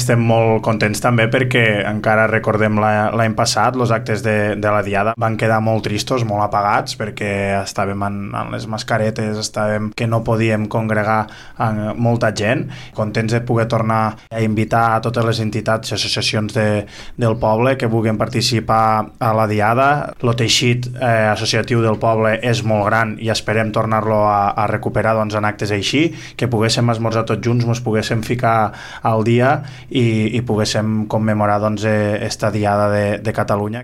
estem molt contents també perquè encara recordem l'any passat els actes de la Diada van quedar molt tristos, molt apagats, perquè estàvem en les mascaretes, estàvem que no podíem congregar molta gent. Contents de poder tornar a invitar a totes les entitats i associacions del poble que vulguin participar a la Diada. El teixit associatiu del poble és molt gran i esperem tornar-lo a recuperar doncs, en actes així, que poguéssim esmorzar tots junts, ens poguéssim ficar al dia i poguéssim commemorar doncs, esta Diada de Catalunya.